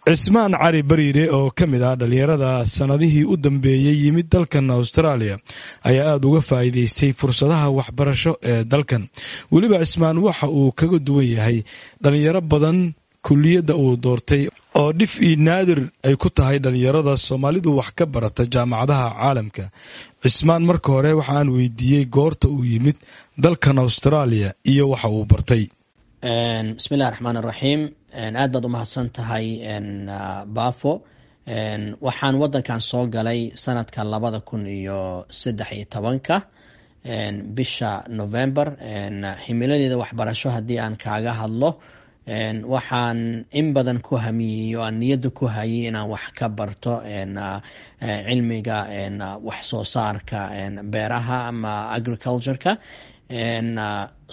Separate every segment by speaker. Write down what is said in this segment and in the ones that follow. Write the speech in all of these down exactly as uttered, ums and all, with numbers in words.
Speaker 1: Cismaan Cali Bariire oo ka mid ah dhallinyarada sannadihii u dambeeyey yimid dalkan Austraaliya ayaa aada uga faa'iidaystay fursadaha waxbarasho ee dalkan. Weliba Cismaan waxa uu kaga duwan yahay dhallinyaro badan kuliyadda uu doortay oo dhif iyo naadir ay ku tahay dhallinyarada Soomaalidu wax ka barata jaamacadaha caalamka. Cismaan marka hore waxa aan weydiiyey goorta uu yimid dalkan Austraaliya iyo waxa uu bartay.
Speaker 2: Bismillahi raxmaan iraxiim. Aad baad umahadsan tahay, Baafo. Waxaan wadankan soo galay sanadka labada kun iyo saddex iyo tobanka bisha November. Himiladeeda waxbarasho haddii aan kaaga hadlo, waxaan in badan ku hamiyey oo aan niyadda ku hayay inaan wax ka barto cilmiga wax soo saarka beeraha ama agriculture-ka.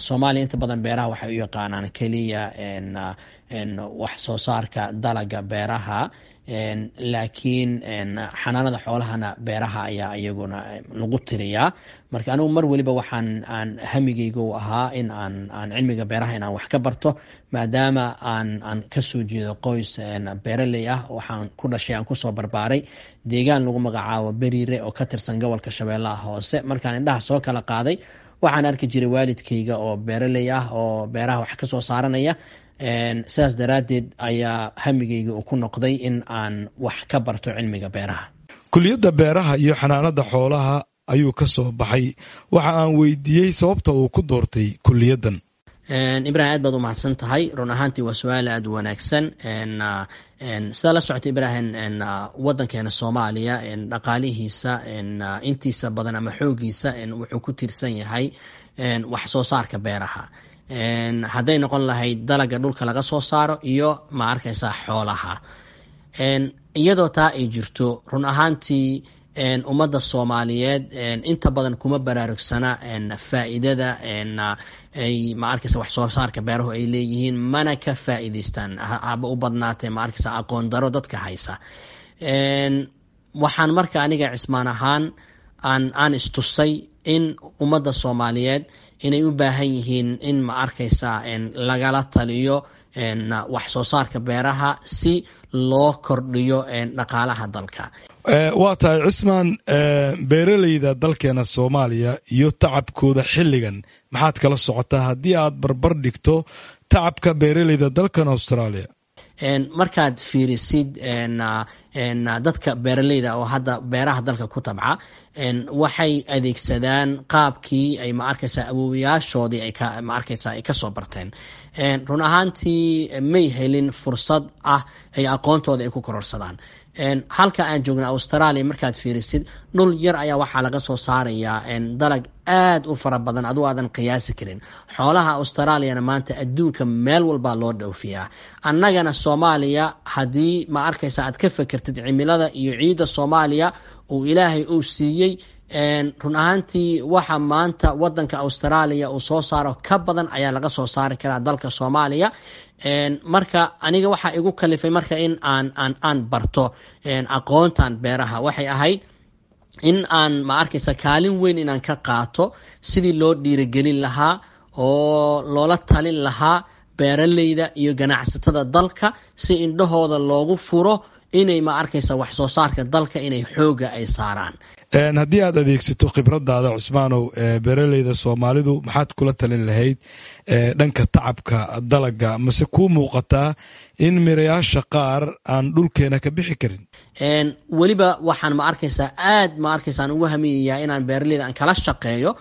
Speaker 2: Soomaaliya inta badan beeraha waxay u yaqaanaan keliya wax soo saarka dalaga beeraha, laakiin xanaanada xoolahana beeraha ayaa iyaguna lagu tiriyaa. Marka anigu mar weliba waxaan aan hamigeyga u ahaa in aan aan cilmiga beeraha inaan wax ka barto, maadaama aan aan kasoo jeedo qoys beeraley ah. Waxaan ku dhashay, aan kusoo barbaaray deegaan lagu magacaabo Beriire oo ka tirsan gobolka Shabeellaha Hoose. Markaan indhaha soo kala qaaday, waxaan arki jiray waalidkayga oo beeraley ah oo beeraha wax kasoo saaranaya. Sidaas daraaddeed ayaa hamigeyga uu ku noqday in aan wax ka barto cilmiga beeraha.
Speaker 1: Kuliyadda beeraha iyo xanaanada xoolaha ayuu ka soo baxay. Waxa aan weydiiyey sababta uu ku doortay kuliyaddan.
Speaker 2: Ibrahim, aad baad u mahadsan tahay. Run ahaantii waa su-aal aada u wanaagsan. Sidaa la socota, Ibrahim, wadankeena Soomaaliya dhaqaalihiisa intiisa badan ama xoogiisa wuxuu ku tiirsan yahay wax soo saarka beeraha, hadday noqon lahayd dalaga dhulka laga soo saaro iyo, ma arkaysaa, xoolaha. Iyadoo taa ay jirto, run ahaantii ummadda Soomaaliyeed inta badan kuma baraarugsana faa'iidada ay, ma arkaysa, wax soo saarka beeruhu ay leeyihiin, mana ka faa'iidaystaan, haba u badnaatee, ma arkaysa, aqoon daro dadka haysa. Waxaan marka aniga Cismaan ahaan aan aan istusay in ummadda Soomaaliyeed inay u baahan yihiin in, ma arkaysa, lagala taliyo wax soo saarka beeraha si loo kordhiyo dhaqaalaha dalka.
Speaker 1: Waa tahay, Cismaan. Beeraleyda dalkeena Soomaaliya iyo tacabkooda xilligan maxaad kala socotaa haddii aad barbar dhigto tacabka beeraleyda dalkan Australia?
Speaker 2: Markaad fiirisid dadka beeraleyda oo hadda beeraha dalka ku tabca, waxay adeegsadaan qaabkii ay, ma arkaysa, awowayaashoodii ay, ma arkaysa, ay kasoo barteen. Run ahaantii may helin fursad ah ay aqoontooda ay ku kororsadaan. Halka aan joogna Australia markaad fiirisid, dhul yar ayaa waxaa laga soo saarayaa dalag aad u fara badan aduu aadan qiyaasi karin. Xoolaha Australiana maanta adduunka meel walbaa loo dhoofiyaa. Annagana Soomaaliya haddii, ma arkaysa, aad ka fekertid cimilada iyo ciidda Soomaaliya uu Ilaahay uu siiyey, run ahaantii waxa maanta wadanka Australia uu soo saaro ka badan ayaa laga soo saari karaa dalka Soomaaliya. Marka aniga waxaa igu kalifay marka in aan aan aan barto aqoontan beeraha waxay ahayd in aan, ma arkaysa, kaalin weyn inaan ka qaato sidii loo dhiirigelin lahaa oo loola talin lahaa beeraleyda iyo ganacsatada dalka, si indhahooda loogu furo inay, ma arkaysa, wax soo saarka dalka inay xooga ay saaraan.
Speaker 1: Haddii aad adeegsato khibradaada, Cusmaanow, beeraleyda Soomaalidu maxaad kula talin lahayd dhanka tacabka dalaga? Mase kuu muuqataa in mirayaasha qaar aan dhulkeena ka bixi karin?
Speaker 2: Weliba waxaan, ma arkaysaa, aad, ma arkaysa, aan ugu hamiyayaa inaan beeraleyda aan kala shaqeeyo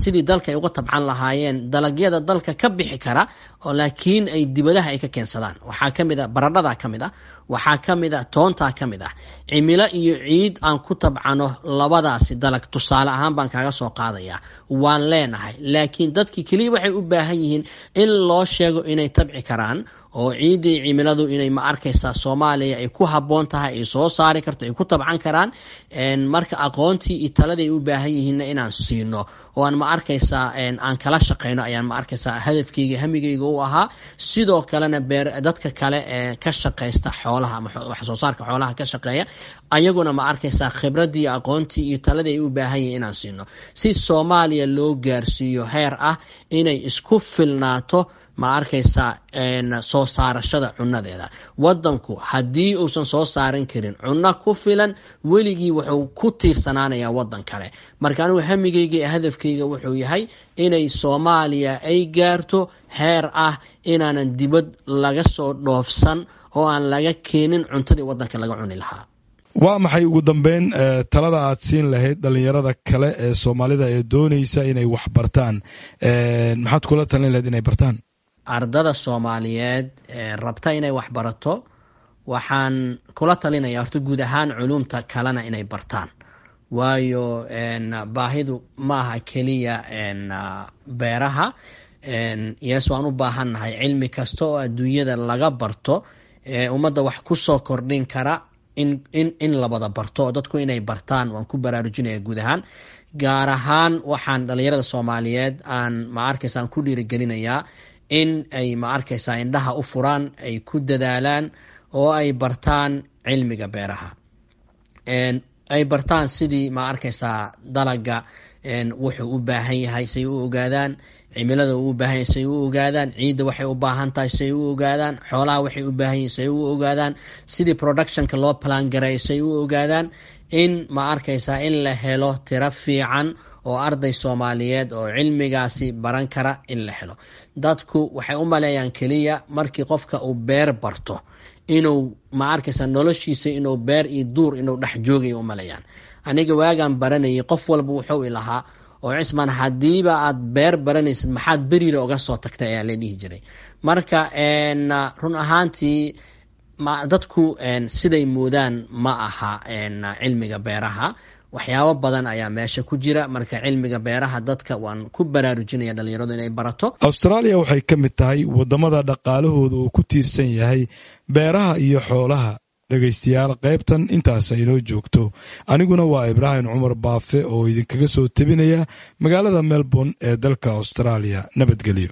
Speaker 2: sidii dalka ay uga tabcan lahaayeen dalagyada dalka ka bixi kara oo laakiin ay dibadaha ay ka keensadaan. Waxaa ka mid a baradhada, ka mid ah waxaa ka mid a toontaa ka mid ah. Cimilo iyo ciid aan ku tabcano labadaasi dalag, tusaale ahaan baan kaaga soo qaadayaa, waan leenahay, laakiin dadkii keliya waxay u baahan yihiin in loo sheego inay tabci karaan oo ciiddii cimiladu inay, ma arkaysaa, Soomaaliya ay ku habboon tahay, ay soo saari karto, ay ku tabcan karaan. Marka aqoontii iyo taladii ay u baahan yihiinna inaan siino oo aan, ma arkaysaa, aan kala shaqeyno ayaan, ma arkaysaa, hadafkeyga hamigeyga u ahaa. Sidoo kalena beer dadka kale ee ka shaqaysta xoolaha ama wax soo saarka xoolaha ka shaqeeya, ayaguna, ma arkaysaa, khibraddii, aqoontii iyo taladii ay u baahan yihiin inaan siino, si Soomaaliya loo gaarsiiyo heer ah inay isku filnaato. Ma arkaysaa, soo saarashada cunadeeda. Wadanku haddii uusan soo saaran karin cunno ku filan, weligii wuxuu ku tiirsanaanayaa wadan kale. Marka anigu hamigayga iyo hadafkayga wuxuu yahay inay Soomaaliya ay gaarto heer ah inaanan dibad laga soo dhoofsan oo aan laga keenin cuntadii wadanka laga cuni lahaa.
Speaker 1: Waa maxay ugu dambeyn talada aad siin lahayd dhalinyarada kale ee Soomaalida ee doonaysa inay wax bartaan? Maxaad kula talin lahayd inay bartaan?
Speaker 2: Ardada Soomaaliyeed ee rabta inay wax barato waxaan kula talinaya horta guud ahaan culumta kalena inay bartaan, waayo baahidu ma aha keliya beeraha. Yes, waan u baahannahay cilmi kasta oo adduunyada laga barto, ummadda wax ku soo kordhin kara, in in in labada barto oo dadku inay bartaan waan ku baraarujinaya guud ahaan. Gaar ahaan waxaan dhalinyarada Soomaaliyeed aan, ma arkaysa, aan ku dhiirigelinayaa in ay, ma arkaysaa, indhaha u furaan, ay ku dadaalaan oo ay bartaan cilmiga beeraha, ay bartaan sidii, ma arkaysaa, dalaga wuxuu u baahan yahay say u ogaadaan, cimilada uu u baahan yahay say u ogaadaan, ciidda waxay u baahan tahay say u ogaadaan, xoolaha waxay u baahan yihin say u ogaadaan, sidii productionka loo plan gareeyo say u ogaadaan. In, ma arkaysaa, in la helo tiro fiican oo arday Soomaaliyeed oo cilmigaasi baran kara in la helo. Dadku waxay u maleeyaan keliya markii qofka uu beer barto inuu, ma arkaysa, noloshiisa inuu beer iyo duur inuu dhex joogayo u maleeyaan. Aniga waagaan baranayay qof walba wuxuu ilahaa, "Oo Cismaan, haddiiba aad beer baranaysid, maxaad Beriira uga soo tagtay?" ayaa la dhihi jiray. Marka run ahaantii dadku siday moodaan ma aha cilmiga beeraha. Waxyaabo badan ayaa meesha ku jira. Marka cilmiga beeraha dadka waan ku baraarujinaya dhalinyaradu inay barato.
Speaker 1: Austraaliya waxay ka mid tahay waddamada dhaqaalahooda uu ku tiirsan yahay beeraha iyo xoolaha. Dhegaystayaal, qaybtan intaas aynoo joogto. Aniguna waa Ibraahim Cumar Baafe oo idinkaga soo tebinaya magaalada Melbourne ee dalka Austraaliya. Nabadgelyo.